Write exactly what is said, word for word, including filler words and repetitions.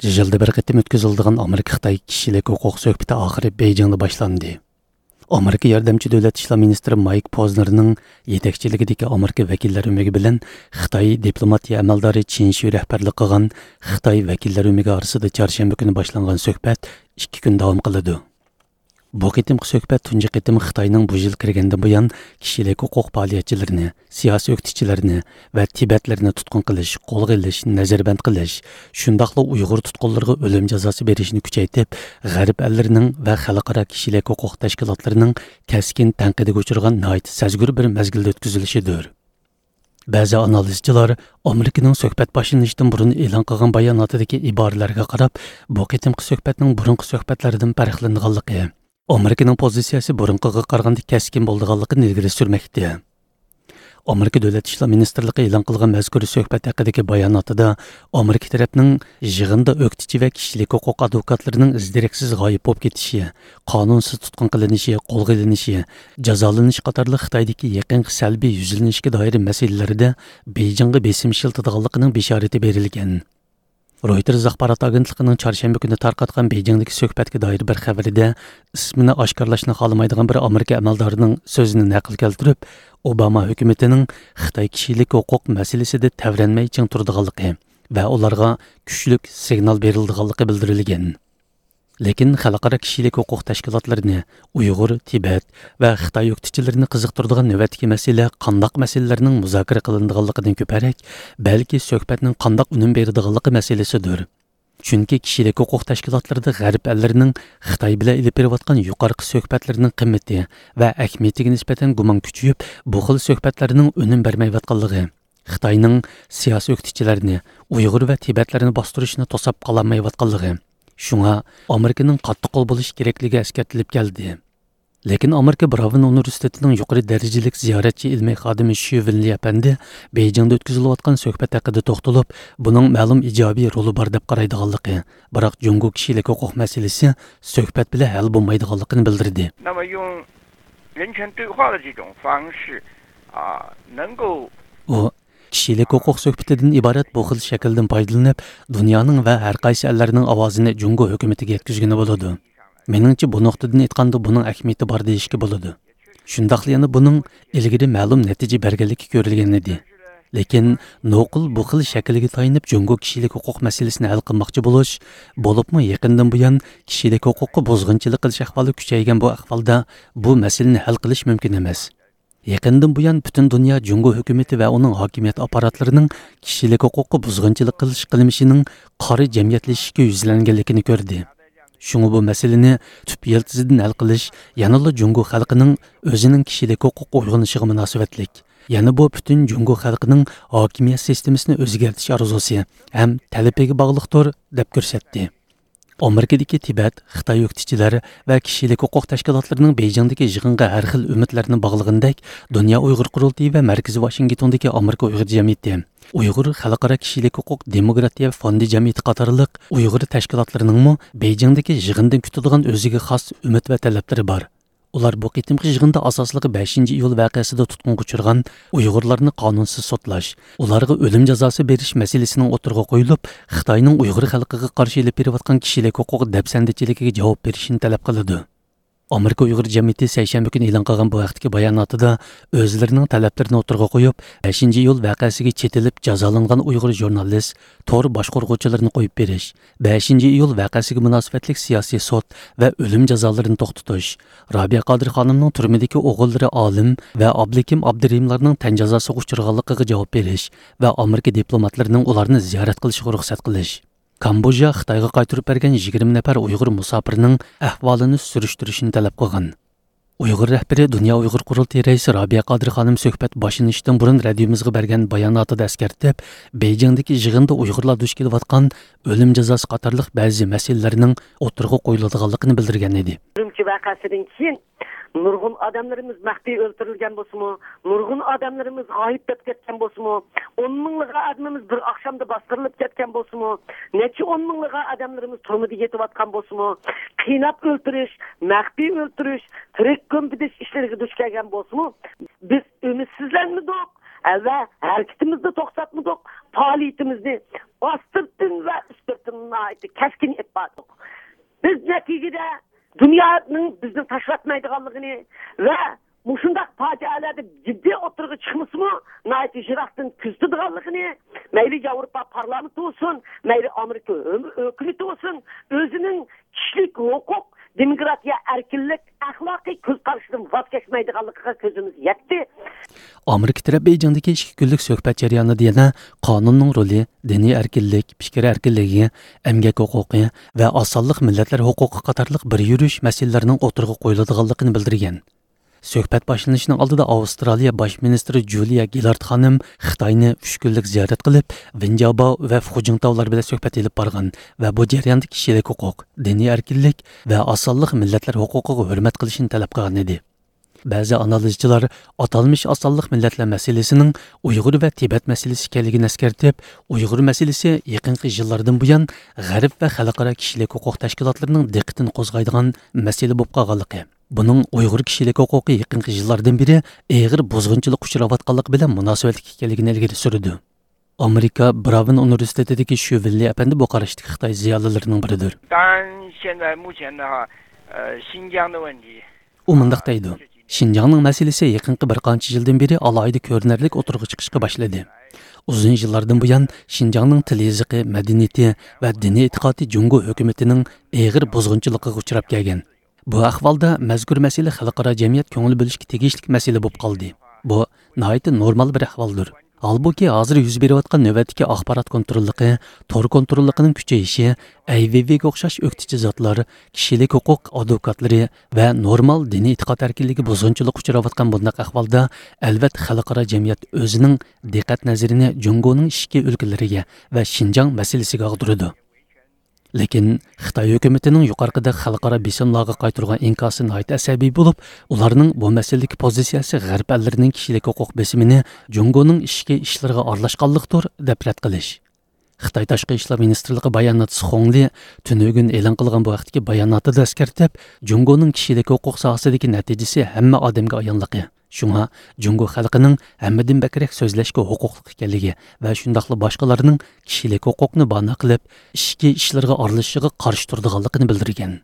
يىلدا بىر قېتىم ئۆتكۈزۈلىدىغان ئامېرىكا-خىتاي كىشىلىك ھوقۇق سۆھبىتى ئاخىرى بېيجىڭدا باشلاندى. ئامېرىكا ياردەمچى دۆلەت ئىشلار مىنىستىرى مايك پوزنېرنىڭ يېتەكچىلىكىدىكى ئامېرىكا ۋەكىللەر ئۆمىكى بىلەن خىتاي دىپلوماتىيە ئەمەلدارى چىن شۈ رەھبەرلىك قىلغان خىتاي ۋەكىللەر ئۆمىكى ئارىسىدا چارشەنبە كۈنى باشلانغان سۆھبەت ئىككى كۈن داۋام قىلىدۇ. بۇ قېتىمقى سۆھبەت تۇنجى قېتىم خىتاينىڭ بۇ يىل كىرگەندىن بۇيان كىشىلىك ھوقۇق پائالىيەتچىلىرىنى، سىياسىي ئۆكتىچىلەرنى ۋە تىبەتلەرنى تۇتقۇن قىلىش، قولغا ئېلىش، نەزەربەند قىلىش، شۇنداقلا ئۇيغۇر تۇتقۇنلىرىغا ئۆلۈم جازاسى بېرىشنى كۈچەيتىپ، غەرب ئەللىرىنىڭ ۋە خەلقئارا كىشىلىك ھوقۇق تەشكىلاتلىرىنىڭ كەسكىن تەنقىدىگە ئۇچرىغان ناھايىتى سەزگۈر بىر مەزگىلدە ئۆتكۈزۈلۈشىدۇر. بەزى ئانالىزچىلار ئامېرىكىنىڭ سۆھبەت باشلىنىشتىن بۇرۇن ئېلان قىلغان باياناتىدىكى ئىبارىلەرگە قاراپ، بۇ قېتىمقى سۆھبەتنىڭ بۇرۇنقى سۆھبەتلەردىن پەرقلىنىدىغانلىقى، ئامېرىكىنىڭ پوزىتسىيەسى بۇرۇنقىغا قارىغاندا كەسكىن بولىدىغانلىقىنى ئىلگىرى سۈرمەكتە. ئامېرىكا دۆلەت ئىشلار مىنىستىرلىقى ئېلان قىلغان مەزكۇر سۆھبەت ھەققىدىكى باياناتىدا ئامېرىكا تەرەپنىڭ يىغىندا ئۆكتىچى ۋە كىشىلىك ھوقۇق ئادۋوكاتلىرىنىڭ ئىز-دېرەكسىز غايىب بولۇپ كېتىشى، قانۇنسىز تۇتقۇن قىلىنىشى، قولغا ئېلىنىشى، جازالىنىشى قاتارلىق خىتايدىكى يېقىنقى سەلبىي يۈزلىنىشكە دائىر مەسىلىلەردە بېيجىڭغا بېسىم ئىشلىتىدىغانلىقىنىڭ بېشارىتى بېرىلگەن. رويتېرز ئاخبارات ئاگېنتلىقىنىڭ چارشەنبە كۈنى تارقاتقان بېيجىڭدىكى سۆھبەتكە دائىر بىر خەۋىرىدە، ئىسمىنى ئاشكارىلاشنى خالىمايدىغان بىر ئامېرىكا ئەمەلدارىنىڭ سۆزىنى نەقىل كەلتۈرۈپ، ئوباما ھۆكۈمىتىنىڭ خىتاي كىشىلىك ھوقۇق مەسىلىسىدە تەۋرەنمەي چىڭ تۇرىدىغانلىقى ۋە ئۇلارغا كۈچلۈك سىگنال بېرىلىدىغانلىقى بىلدۈرۈلگەن. لېكىن خەلقئارا كىشىلىك ھوقۇق تەشكىلاتلىرىنى، ئۇيغۇر، تىبەت ۋە خىتاي ئۆكتىچىلىرىنى قىزىقتۇرىدىغان نۆۋەتتىكى مەسىلە قانداق مەسىلىلەرنىڭ مۇزاكىرە قىلىنىدىغانلىقىدىن كۆپرەك، بەلكى سۆھبەتنىڭ قانداق ئۈنۈم بېرىدىغانلىقى مەسىلىسىدۇر. چۈنكى كىشىلىك ھوقۇق تەشكىلاتلىرىدا غەرب ئەللىرىنىڭ خىتاي بىلەن ئېلىپ بېرىۋاتقان يۇقىرىقى سۆھبەتلىرىنىڭ قىممىتى ۋە ئەھمىيىتىگە نىسبەتەن گۇمان كۈچىيىپ، بۇ خىل سۆھبەتلەرنىڭ ئۈنۈم بەرمەيۋاتقانلىقى، خىتاينىڭ سىياسىي ئۆكتىچىلەرنى، ئۇيغۇر ۋە تىبەتلەرنى باستۇرۇشنى توساپ قالالمايۋاتقانلىقى، شۇڭا ئامېرىكىنىڭ قاتتىق قول بولۇشى كېرەكلىكى ئەسكەرتىلىپ كەلدى. لېكىن ئامېرىكا براۋېن ئۇنىۋېرسىتېتىنىڭ يۇقىرى دەرىجىلىك زىيارەتچى ئىلمىي خادىمى شۈ ۋېنلى ئەپەندى بېيجىڭدا ئۆتكۈزۈلۈۋاتقان سۆھبەت ھەققىدە توختىلىپ، بۇنىڭ مەلۇم ئىجابىي رولى بار دەپ قارايدىغانلىقى، بىراق جۇڭگو كىشىلىك ھوقۇق مەسىلىسى سۆھبەت بىلەن ھەل بولمايدىغانلىقىنى بىلدۈردى. 那么用人权对话的这种方式，啊，能够 ئۇ كىشىلىك ھوقۇق سۆھبىتىدىن ئىبارەت بۇ خىل شەكىلدىن پايدىلىنىپ، دۇنيانىڭ ۋە ھەر قايسى ئەللەرنىڭ ئاۋازىنى جۇڭگو ھۆكۈمىتىگە يەتكۈزگىلى بولىدۇ. مېنىڭچە، بۇ نۇقتىدىن ئېيتقاندا، بۇنىڭ ئەھمىيىتى بار دېيىشكە بولىدۇ. شۇنداقلا يەنە بۇنىڭ ئىلگىرى مەلۇم نەتىجە بەرگەنلىكى كۆرۈلگەن ئىدى. لېكىن نوقۇل بۇ خىل شەكىلگە تايىنىپ جۇڭگو كىشىلىك ھوقۇق مەسىلىسىنى ھەل قىلماقچى بولۇش، بولۇپمۇ يېقىندىن بۇيان كىشىلىك ھوقۇققا بۇزغۇنچىلىق قىلىش ئەھۋالى كۈچەيگەن بۇ ئەھۋالدا بۇ مەسىلىنى ھەل قىلىش مۇمكىن ئەمەس. يېقىندىن بۇيان پۈتۈن دۇنيا جۇڭگو ھۆكۈمىتى ۋە ئۇنىڭ ھاكىمىيەت ئاپپاراتلىرىنىڭ كىشىلىك ھوقۇققا بۇزغۇنچىلىق قىلىش قىلمىشىنىڭ قارا جەمئىيەتلىشىشكە يۈزلەنگەنلىكىنى كۆردى. شۇڭا بۇ مەسىلىنى تۈپ يىلتىزىدىن ھەل قىلىش يەنىلا جۇڭگو خەلقىنىڭ ئۆزىنىڭ كىشىلىك ھوقۇق ئويغىنىشىغا مۇناسىۋەتلىك، يەنە بۇ پۈتۈن جۇڭگو خەلقىنىڭ ھاكىمىيەت سىستېمىسىنى ئۆزگەرتىش ئارزۇسى ھەم تەلىپىگە باغلىقتۇر، دەپ كۆرسەتتى. ئامېرىكىدىكى تىبەت، خىتاي ئۆكتىچىلەر ۋە كىشىلىك ھوقۇق تەشكىلاتلىرىنىڭ بېيجىڭدىكى يىغىنغا ھەر خىل ئۈمىدلەرنى باغلىغىنىدەك، دۇنيا ئۇيغۇر قۇرۇلتىيى ۋە مەركىزى ۋاشىنگتوندىكى ئامېرىكا ئۇيغۇر جەمئىيىتى، ئۇيغۇر خەلقئارا كىشىلىك ھوقۇق دېموكراتىيە فوندى جەمئىيىتى قاتارلىق ئۇيغۇر تەشكىلاتلىرىنىڭمۇ بېيجىڭدىكى يىغىندىن كۈتىدىغان ئۆزىگە خاس ئۈمىد ۋە تەلەپلىرى بار. ئۇلار بۇ قېتىمقى يىغىندا ئاساسلىقى بەشىنچى ئىيۇل ۋەقەسىدە تۇتقۇنغا ئۇچرىغان ئۇيغۇرلارنى قانۇنسىز سوتلاش، ئۇلارغا ئۆلۈم جازاسى بېرىش مەسىلىسىنىڭ ئوتتۇرىغا قويۇلۇپ، خىتاينىڭ ئۇيغۇر خەلقىگە قارشى ئېلىپ بېرىۋاتقان كىشىلىك ھوقۇق دەپسەندىچىلىكىگە جاۋاب بېرىشىنى تەلەپ قىلىدۇ. ئامېرىكا ئۇيغۇر جەمئىيىتى سەيشەنبە كۈنى ئېلان قىلغان بۇ ھەقتىكى باياناتىدا ئۆزلىرىنىڭ تەلەپلىرىنى ئوتتۇرىغا قويۇپ، بەشىنچى ئىيۇل ۋەقەسىگە چېتىلىپ جازالانغان ئۇيغۇر ژۇرنالىست، تور باشقۇرغۇچىلىرىنى قويۇپ بېرىش، بەشىنچى ئىيۇل ۋەقەسىگە مۇناسىۋەتلىك سىياسىي سوت ۋە ئۆلۈم جازالىرىنى توختىتىش، رابىيە قادىر خانىمنىڭ تۈرمىدىكى ئوغۇللىرى ئالىم ۋە ئابلىكىم ئابدۇرېھىملارنىڭ تەن جازاسىغا ئۇچرىغانلىقىغا جاۋاب بېرىش ۋە ئامېرىكا دىپلوماتلىرىنىڭ ئۇلارنى زىيارەت قىلىشىغا رۇخسەت قىلىش، كامبودژا خىتايغا قايتۇرۇپ بەرگەن يىگىرمە نەپەر ئۇيغۇر مۇساپىرنىڭ ئەھۋالىنى سۈرۈشتۈرۈشنى تەلەپ قىلغان. ئۇيغۇر رەھبىرى دۇنيا ئۇيغۇر قۇرۇلتىيى رەئىسى رابىيە قادىر خانىم سۆھبەت باشلىنىشتىن بۇرۇن رادىيومىزغا بەرگەن باياناتىدا ئەسكەرتىپ، بېيجىڭدىكى يىغىندا ئۇيغۇرلار دۇچ كېلىۋاتقان ئۆلۈم جازاسى قاتارلىق بەزى مەسىلىلەرنىڭ ئوتتۇرىغا قويۇلىدىغانلىقىنى بىلدۈرگەن ئىدى. ئۈرۈمچى ۋەقەسىدىن كېيىن نۇرغۇن ئادەملىرىمىز مەخپىي ئۆلتۈرۈلگەن بولسىمۇ، نۇرغۇن ئادەملىرىمىز غايىب بولۇپ كەتكەن بولسىمۇ، ئون مىڭلىغان ئادىمىمىز بىر ئاخشامدا باستۇرۇلۇپ كەتكەن بولسىمۇ، نەچچە ئون مىڭلىغان ئادەملىرىمىز تۈرمىدە يېتىۋاتقان بولسىمۇ، قىيناپ ئۆلتۈرۈش، مەخپىي ئۆلتۈرۈش، تىرىك كۆمۈۋېتىش ئىشلىرىغا دۇچ كەلگەن بولسىمۇ، بىز ئۈمىدسىزلەنمىدۇق، ۋە ھەرىكىتىمىزنى توختاتمىدۇق، پائالىيىتىمىزنى ئاستىرتىن ۋە ئۈستۈرتىن ناھايىتى كەسكىن ئېلىپ باردۇق. بىز نەتىجىدە دۇنيانىڭ بىزنى تاشلاتمايدىغانلىقىنى ۋە مۇشۇنداق پاجىئەلەردە جىددىي ئوتتۇرىغا چىقمىسىمۇ، ناھايىتى يىراقتىن كۆزىتىدىغانلىقىنى، مەيلى ياۋروپا پارلامېنتى بولسۇن، مەيلى ئامېرىكا ھۆ-، ھۆكۈمىتى بولسۇن، ئۆزىنىڭ كىشىلىك ھوقۇق، دېموكراتىيە، ئەركىنلىك، ئەخلاقىي كۆز قارىشىدىن ۋاز كەچمەيدىغانلىقىغا كۆزىمىز يەتتى. ئامېرىكا تەرەپ بېيجىڭدىكى ئىككى كۈنلۈك سۆھبەت جەريانىدا يەنە قانۇننىڭ رولى، دىنىي ئەركىنلىك، پىكىر ئەركىنلىكى، ئەمگەك ھوقۇقى ۋە ئاز سانلىق مىللەتلەر ھوقۇقى قاتارلىق بىر يۈرۈش مەسىلىلەرنىڭ ئوتتۇرىغا قويۇلىدىغانلىقىنى بىلدۈرگەن. سۆھبەت باشلىنىشىنىڭ ئالدىدا ئاۋسترالىيە باش مىنىستىرى جۇلىيا گىلارد خانىم خىتاينى ئۈچ كۈنلۈك زىيارەت قىلىپ، ۋېنجياباۋ ۋە فۇجىڭتاۋلار بىلەن سۆھبەت ئېلىپ بارغان ۋە بۇ جەرياندا كىشىلىك ھوقۇق، دىنىي ئەركىنلىك ۋە ئاز سانلىق مىللەتلەر ھوقۇقىغا ھۆرمەت قىلىشنى تەلەپ قىلغان ئىدى. بەزى ئانالىزچىلار ئاتالمىش ئاز سانلىق مىللەتلەر مەسىلىسىنىڭ ئۇيغۇر ۋە تىبەت مەسىلىسى ئىكەنلىكىنى ئەسكەرتىپ، ئۇيغۇر مەسىلىسى يېقىنقى يىللاردىن بۇيان غەرب ۋە خەلقئارا كىشىلىك ھوقۇق تەشكىلاتلىرىنىڭ دىققىتىنى قوزغايدىغان مەسىلە بولۇپ قالغانلىقى، بۇنىڭ ئۇيغۇر كىشىلىك ھوقۇقى يېقىنقى يىللاردىن بېرى ئېغىر بۇزغۇنچىلىققا ئۇچراۋاتقانلىقى بىلەن مۇناسىۋەتلىك ئىكەنلىكىنى ئىلگىرى سۈرىدۇ. ئامېرىكا براۋېن ئۇنىۋېرسىتېتىدىكى شۈ ۋېنلى ئەپەندى بۇ قاراشتىكى خىتاي زىيالىيلىرىنىڭ بىرىدۇر. 当然，现在目前的话，呃，新疆的问题， ئۇ مۇنداق دەيدۇ، شىنجاڭنىڭ مەسىلىسى يېقىنقى بىر قانچە يىلدىن بېرى ئالاھىدە كۆرۈنەرلىك ئوتتۇرىغا چىقىشقا باشلىدى. ئۇزۇن يىللاردىن بۇيان شىنجاڭنىڭ تىل يېزىقى، مەدەنىيىتى ۋە دىنىي ئېتىقادى جۇڭگو ھۆكۈمىتىنىڭ ئېغىر بۇزغۇنچىلىقىغا ئۇچراپ كەلگەن. بۇ ئەھۋالدا مەزكۇر مەسىلە خەلقئارا جەمئىيەت كۆڭۈل بۆلۈشكە تېگىشلىك مەسىلە بولۇپ قالدى. بۇ ناھايىتى نورمال بىر ئەھۋالدۇر. ھالبۇكى، ھازىر يۈز بېرىۋاتقان نۆۋەتتىكى ئاخبارات كونتروللۇقى، تور كونتروللۇقىنىڭ كۈچىيىشى، ئەيۋېيۋېيگە ئوخشاش ئۆكتىچى زاتلار، كىشىلىك ھوقۇق ئادۋوكاتلىرى ۋە نورمال دىنىي ئېتىقاد ئەركىنلىكى بۇزغۇنچىلىققا ئۇچراۋاتقان بۇنداق ئەھۋالدا، ئەلۋەتتە، خەلقئارا جەمئىيەت ئۆزىنىڭ دىققەت نەزىرىنى جۇڭگونىڭ ئىچكى ئۆلكىلىرىگە ۋە شىنجاڭ مەسىلىسىگە ئاغدۇرىدۇ. لېكىن خىتاي ھۆكۈمىتىنىڭ يۇقىرىقىدەك خەلقئارا بېسىملارغا قايتۇرغان ئىنكاسى ناھايىتى ئەسەبىي بولۇپ، ئۇلارنىڭ بۇ مەسىلىدىكى پوزىتسىيەسى غەرب ئەللىرىنىڭ كىشىلىك ھوقۇق بېسىمىنى جۇڭگونىڭ ئىچكى ئىشلىرىغا ئارىلاشقانلىقتۇر، دەپ رەت قىلىش. خىتاي تاشقى ئىشلار مىنىستىرلىقى باياناتچىسى خۇڭ لې تۈنۈگۈن ئېلان قىلغان بۇ ھەقتىكى باياناتىدا ئەسكەرتىپ، جۇڭگونىڭ كىشىلىك ھوقۇق ساھەسىدىكى نەتىجىسى ھەممە ئادەمگە ئايانلىقى، شۇڭا جۇڭگو خەلقىنىڭ ھەممىدىن بەكرەك سۆزلەشكە ھوقۇقلۇق ئىكەنلىكى ۋە شۇنداقلا باشقىلارنىڭ كىشىلىك ھوقۇقنى بانا قىلىپ، ئىچكى ئىشلىرىغا ئارىلىشىشىغا قارشى تۇرىدىغانلىقىنى بىلدۈرگەن.